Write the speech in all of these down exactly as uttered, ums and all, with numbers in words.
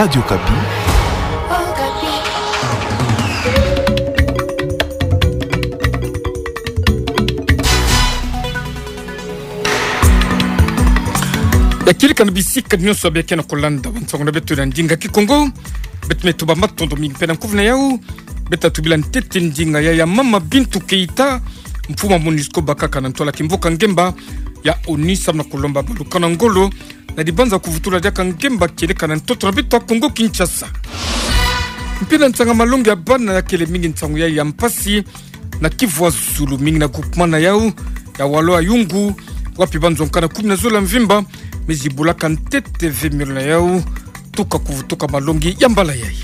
Radio Okapi. Ya kieleka na bisika nyonso beke na kolanda bansango na beto na ndinga Kikongo. Beto me tuba matondo mingi mpe na nkufi na yau. Beto tubila ntete ndinga ya, ya Mama Bintou Keita, mfumu MONUSCO bakaka na ntwala kimvuka ngemba ya ONU, samu na kolomba baluka na ngolo na dibanza kuvutula diaka ngemba kieleka na ntoto na beto ya Kongo Kinshasa. Mpe na nsanga malongi ya bana, ya kele mingi nsangu ya, ya mpasi na Kivu ya Zulu, mingi na groupement na yau ya Walo-Ayungu, wapi banzo nkana kumi na zole ya mvimba me zibulaka ntete ve miolo na yau tuka kuvutuka malongi ya mbala yai.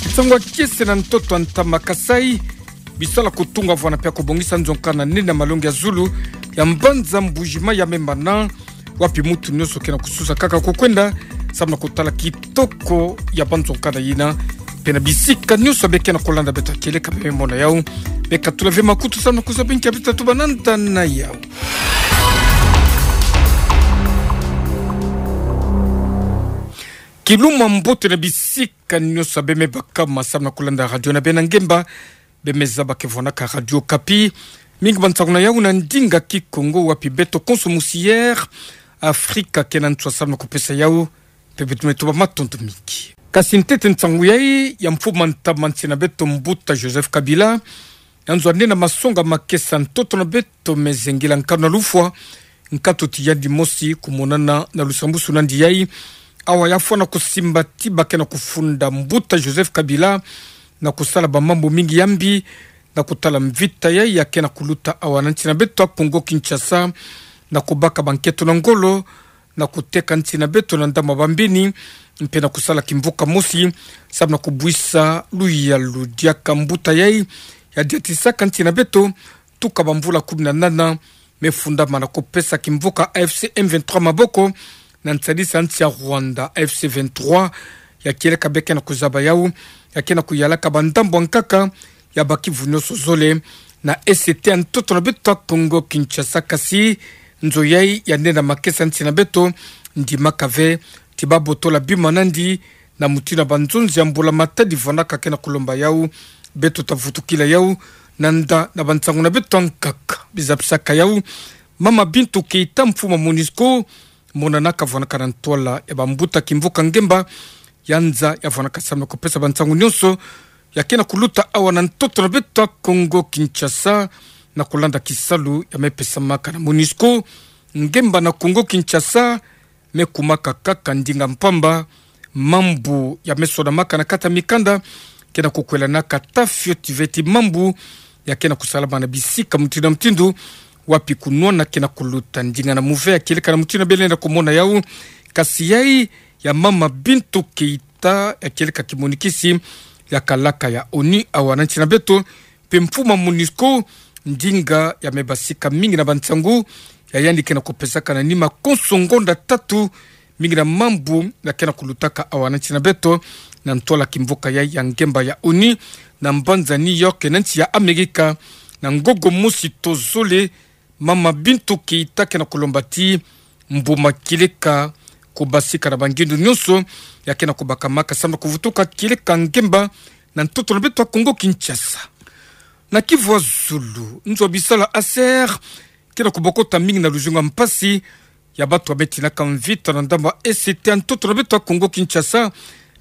Nsangu ya kiese na ntoto ya ntama Kasaï, bisala kutunga vwanda mpe kubongisa nzo nkana nene ya malongi ya zulu ya mbanza Mbuji-Mayi ya Membana, wapi mutu nyonso ke na kususa kaka kukwenda samu na kutala kitoko ya banzo nkana yina. Mpe na bisika nyonso beke na kolanda beto kieleka beme mona yau, bekatula ve makutu samu na kuzaba nki ya beto tatuba na nda na yau. Kiluma mbote na bisika nyonso beme bakama samu na kolanda radio na beno ya ngemba, beme zaba ke vwandaka Radio Okapi. Mingi bansango na yau na ndinga Kikongo, wapi beto konso musi Air Afrika ke na nswa samu na kupesa yau, mpe beto me tuba matondo mingi. Kasi ntete nsangu yai ya mfumu ya ntama nsi na beto Mbuta Joseph Kabila, ya nzo ya nene ya masonga makesa ntoto na beto me zengila nkanu na lufwa, nkatu ti yandi mosi kumonana na lusambusu na yandi yai, awa ya fwa na kusimba ti ba ke na kufunda Mbuta Joseph Kabila na kusala bamambu mingi ya mbi, na kutala mvita yai ya ke na kuluta awa na nsi na beto ya Kongo Kinshasa, na kubaka bankento na ngolo, na kuteka nsi na beto na ndambu ya bambini, mpe na kusala kimvuka mosi samu na kubwisa luyalu diaka mbuta yai ya diatisaka nsi na beto tuka bamvula kumi na nana, me fundama na kupesa kimvuka A F C M vingt-trois maboko, na nsadisa nsi ya Rwanda. A F C vingt-trois, ya kieleka beke na kuzaba yau, ya ke na kuyalaka bandambu ya nkaka ya Bas-Kivu nyonso zole na E C T ya ntoto na beto ya Kongo Kinshasa. Kasi nzo yai ya nene ya makesa nsi na beto ndimaka ve ti ba botola bima na yandi na mutindu ya banzonzi ya mbula-matadi vwandaka ke na kulomba yau. Beto ta vutukila yau na nda na bansango na beto ya nkaka. Bizapisaka yau Mama Bintou Keita, mfumu ya MONUSCO, monanaka vwandaka na ntwala ya bambuta kimvuka ngemba, ya nza ya vwandaka samu na kupesa bansango nyonso ya ke na kuluta awa na ntoto na beto ya Kongo Kinshasa, na kulanda kisalu ya me pesamaka na MONUSCO. Ngemba na Kongo Kinshasa me kumaka kaka ndinga mpamba, mambu ya me sonamaka na kati ya mikanda ke na kukwelanaka ta fioti ve ti mambu ya ke na kusalama na bisika mutindu na mutindu, wapi kunwana ke na kuluta. Ndinga na muve ya kieleka na mutindu beno lenda kumona yau, kasi yai ya Mama Bintou Keita, ya kieleka kimonikisi ya kalaka ya ONU awa na nsi na beto, mpe mfumu ya MONUSCO, ndinga ya me basika mingi na bansangu ya yandi ke na kupesaka na nima konso ngonda tatu, mingi na mambu ya ke na kulutaka awa na nsi na beto, na ntwala kimvuka yai ya ngemba ya ONU, na mbanza New York, na nsi ya Amerika, na ngongo mosi to zole, Mama Bintou Keita ke na kulomba ti mbuma kieleka kubasika na bangindu nyonso ya ke na kubakamaka samu na kuvutuka kieleka ngemba na ntoto na beto ya Kongo Kinshasa. Na Kivu ya Zulu, nzo ya bisalu ya ASER ke na kubokota mingi na luzungu ya mpasi ya bato ya me tinaka mvita na ndambu ya E C T ya ntoto na beto ya Kongo Kinshasa,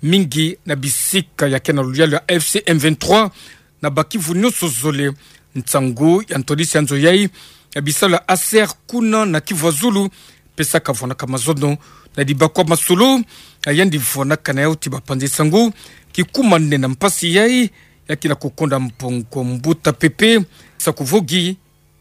mingi na bisika ya ke na luyalu ya A F C M vingt-trois, na Bas-Kivu nyonso zole. Nsangu ya ntwadisi ya nzo yai ya bisalu ya ASER kuna na Kivu ya Zulu pesaka vwandaka mazono na dibakwa masolo ya yandi vwandaka na yau ti bapanzi-sango, kikuma nene ya mpasi yai ya ke na kukonda mbongo mbuta pepe. Sa kuvogi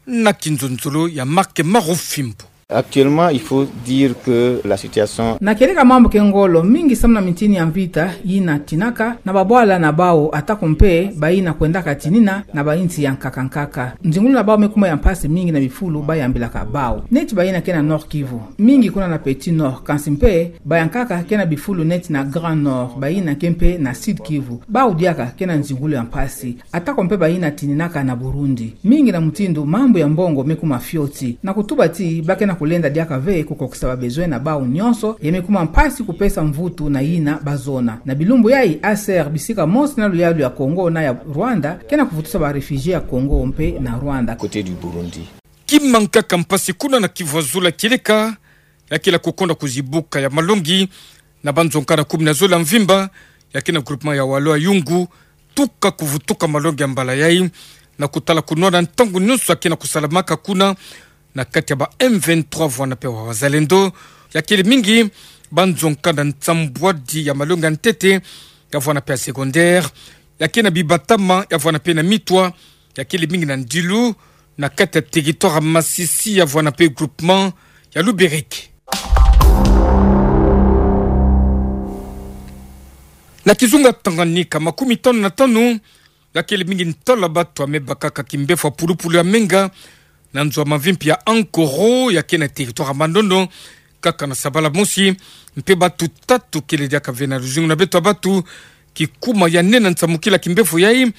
na kinzonzolo ya Marc Marufimbo. Actuellement, il faut dire que la situation... Na kieleka mambu ke ngolo mingi samu na mintini ya mvita yina tinaka na babwala na bau, atako mpe bayina kwendaka tinina na bainsi ya nkaka nkaka. Nzingulu na bau me kuma ya mpasi mingi na bifulu bayambilaka bau. Neti bayina ke na Nord-Kivu, mingi kuna na Petit Nord, kansi mpe bayankaka ke na bifulu neti na Grand Nord, bayina ke mpe na Sud-Kivu, bau diaka ke na nzingulu ya mpasi. Atako mpe bayina tininaka na Burundi. Mingi na mutindu mambu ya mbongo me kuma fioti. Na kutuba ti ba ke na Kulenda diaka ve kukokisa ba besoin na bau nyonso, ya me kuma mpasi kupesa mvutu na yina bazona. Na bilumbu yayi, A C R, bisika mosi na luyalu ya Congo na ya Rwanda ke na kuvutusa ba réfugiés ya Congo mpe na Rwanda. Côté du Burundi. Kima nkaka mpasi kuna na Kivu ya Zulu, kieleka ya kila kukonda kuzibuka ya malongi na banzo nkanda kumi na zole ya mvimba ya ke na groupement ya Walo ya Yungu, tuka kuvutuka malongi ya mbala yayi, na kutala kunwana ntangu nyonso ya ke na kusalamaka kuna na kati ya ba M vingt-trois vwanda mpe wa Wazalendo, ya kele mingi banzo nkanda nsambwadi ya malongi ya ntete, ya vwanda mpe ya secondaire, ya ke na bibatama, ya vwanda mpe na mitwa, ya kele mingi na Ndilu, na kati ya territoire ya Masisi, ya vwanda mpe groupement ya Lubereke. Na kizunga Tanganyika, makumi tanu na tanu ya kele mingi ntwala batu ya me bakaka kimbefo ya pulupulu ya menga na nzo ya mavimpi ya Ankoro, ya ke na territoire ya Mandondo, kaka na sabala mosi, mpe batu tatu kele diaka ve na luzingu na beto ya batu. Kikuma ya nene na nsamukila kimbefo yayi,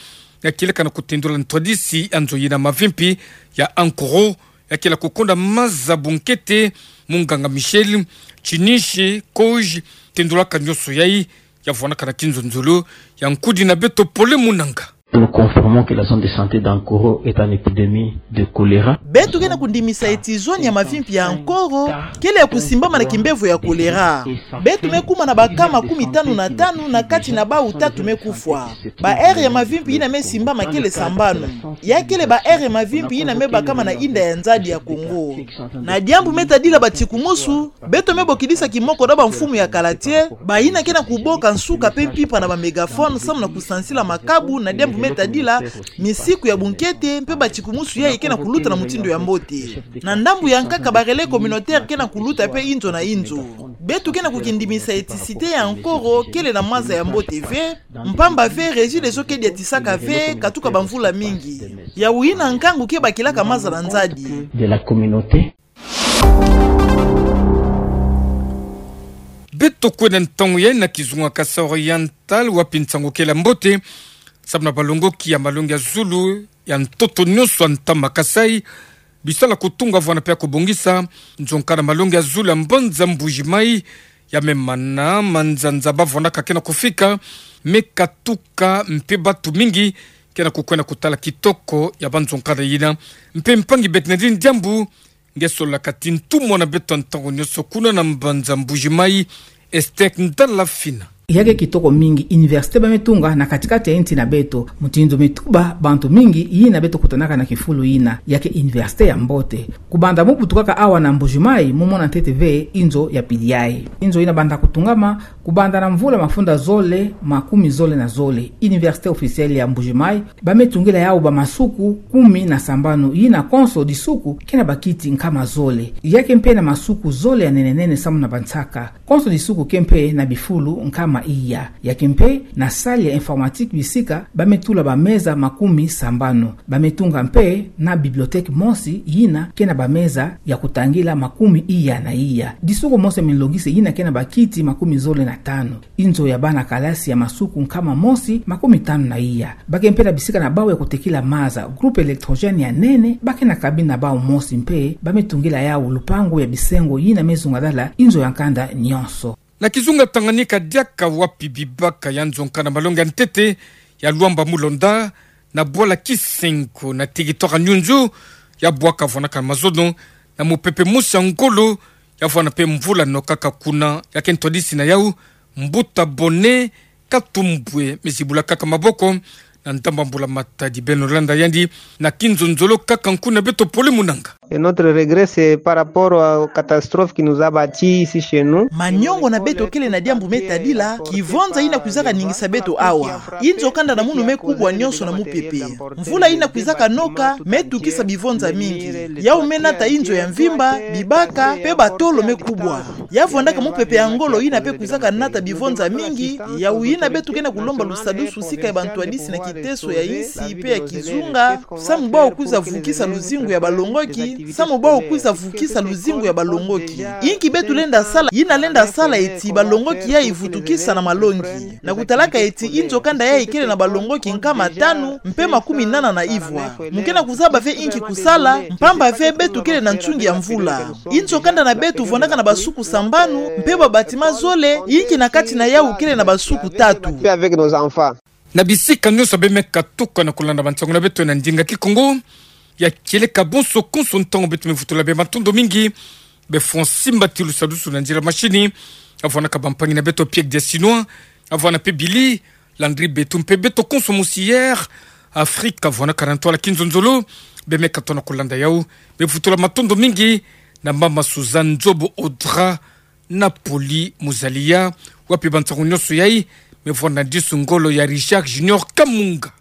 ya kieleka na kutendula ntwadisi ya nzo yina mavimpi ya Ankoro, ya kila kukonda maza bunkete. Munganga Michel Chinishi Koge, tendulaka nyonso yayi, ya vwandaka na kinzonzolo ya nkudi na beto Pole Munanga. Nous confirmons que la zone de santé d'Ankoro est en épidémie de choléra. Beto ke na kundimisa ti zone ya mavimpi ya Ankoro kele ya kusimbama na kimbefo ya choléra. Beto me kuma na ba cas makumi tanu na tanu, na kati na bau tatu me kufwa. Ba aire ya mavimpi yina me simbama kele sambanu. Ya kele ba aire ya mavimpi yina me bakama na inda ya nzadi ya Congo. Na diambu me tadila batikumusu, beto me bokidisa kimoko na bamfumu ya kala, bayina ke na kuboka nsuka mpe mpimpa na ba mégaphone samu na kusansila makabu na diambu me tadila misiku ya bunkete mpe batikumusu yayi ke na kuluta na mutindu ya mbote. Na ndambu ya nkaka, ba relais communautaire ke na kuluta mpe inzo na inzo. Beto ke na kukindimisa ti cité ya Ankoro kele na maza ya mbote ve, mpamba ve Regideso ke diatisaka ve katuka bamvula mingi. Yawu yina nkangu ke bakilaka maza na nzadi. De la communauté. Beto kwenda ntangu yayi na kizunga Kasai Oriental, wapi nsangu kele ya mbote samu na balongoki ya malongi ya zulu ya ntoto nyonso ya ntama Kasai, bisala kutunga vwanda mpe ya kubongisa nzo nkanda malongi ya zulu ya mbanza Mbuji-Mayi, ya me mana manzanza bavwandaka ke na kufika, me katuka mpe batu mingi ke na kukwenda kutala kitoko ya banzo nkanda yina. Mpe mpangi Bernardine Diambu nge sololaka ti ntumwa na beto ntangu nyonso kuna na mbanza Mbuji-Mayi, Esther Ndalafina. Ya ke kitoko mingi université ba me tunga na kati-kati ya insi na beto, mutindu me tuba bantu mingi yina beto kutanaka na kifulu yina. Ya ke université ya mbote. Kubanda mu butukaka awa na Mbuji-Mayi, mu mona ntete ve inzo ya pili yayi. Inzo yina banda kutungama kubanda na mvula mafunda zole makumi zole na zole. Université officielle ya Mbuji-Mayi, ba me tungila yawu bamasuku kumi na sambanu, yina konso disuku ke na bakiti nkama zole. Ya ke mpe na masuku zole ya nene-nene samu na bansaka. Konso disuku ke mpe na bifulu nkama iya. Ya ke mpe na salle ya informatique bisika ba me tula bameza makumi sambanu. Ba me tunga mpe na bibliothèque mosi yina ke na bameza ya kutangila makumi iya na iya. Disuku mosi ya milongise yina ke na bakiti makumi zole na tanu. Inzo ya bana kalasi ya masuku nkama mosi makumi tanu na iya. Ba ke mpe na bisika na bawu ya kutekila maza, groupe électrogène ya nene, ba ke na cabine na bawu mosi mpe, ba me tungila yawu lupangu ya bisengo yina me zungadala inzo ya nkanda nyonso. Na kizunga Tanganyika diaka, wapi bibaka ya nzo nkanda malongi ya ntete ya Luamba Mulonda, na bwala Kisengo na territoire Nyunzu, ya bwaka vwandaka mazono na mupepe mosi ya ngolo, ya vwanda mpe mvula nokaka kuna. Ya ke ntwadisi na yawu, mbuta Bone Katumbwe, me zibula kaka maboko na ndamba mbula matadi. Beno landa yandi na kinzonzolo kaka nkuna beto Pole Munanga. Et notre regret, c'est par rapport aux catastrophes qui nous a battus ici chez nous. Manyongo na beto kele na diambu me tadila kivonza yina kwizaka ningisa beto awa. Inzo kanda na munu me kubwa nyonso na mupepe. Mvula yina kwizaka noka me tukisa bivonza mingi. Yawu me nata inzo ya mvimba, bibaka, mpe batolo me kubwa. Ya vwandaka mupepe ya ngolo yina mpe kwizaka nata bivonza mingi. Yawu yina beto ke na kulomba lusadusu sika ya bantwadisi na ki Teso ya insi pe ya kizunga, samu bau kwiza vukisa luzingu ya balongoki, samu bau kwiza vukisa luzingu ya balongoki. Inki beto lenda sala, yina lenda sala eti balongoki yayi vutukisa na malongi. Na kutalaka eti inzo kanda yayi kele na balongoki nkama tanu mpe makumi nana na ivwa. Mu ke na kuzaba ve inki kusala, mpamba ve beto kele na nsungi ya mvula. Inzo kanda na beto vwandaka na basuku sambanu, mpe ba bâtiment zole, inki na kati na yawu kele na basuku tatu. Na bisika nyonso bemeka tuka na kulanda bansangu na beto na ndinga Kikongo, ya kieleka bonso konso ntangu beto me vutula bê, matondo mingi. Bê Francis Mbatilu Sadusu na nzila mashini, avwanaka bampangi na beto Pierre Diasinois, avwana mpe Billy Landry Betu mpe beto konso mosi Air Afrique, avwanaka na ntwala kinzonzolo, bemeka tona kulanda yawu. Me vutula matondo mingi na mama Suzanne Nzobo Audra, na Poli Muzaliya, wapi bansangu nyonso yayi me vwanda disu ngolo ya Richard Junior Kamunga.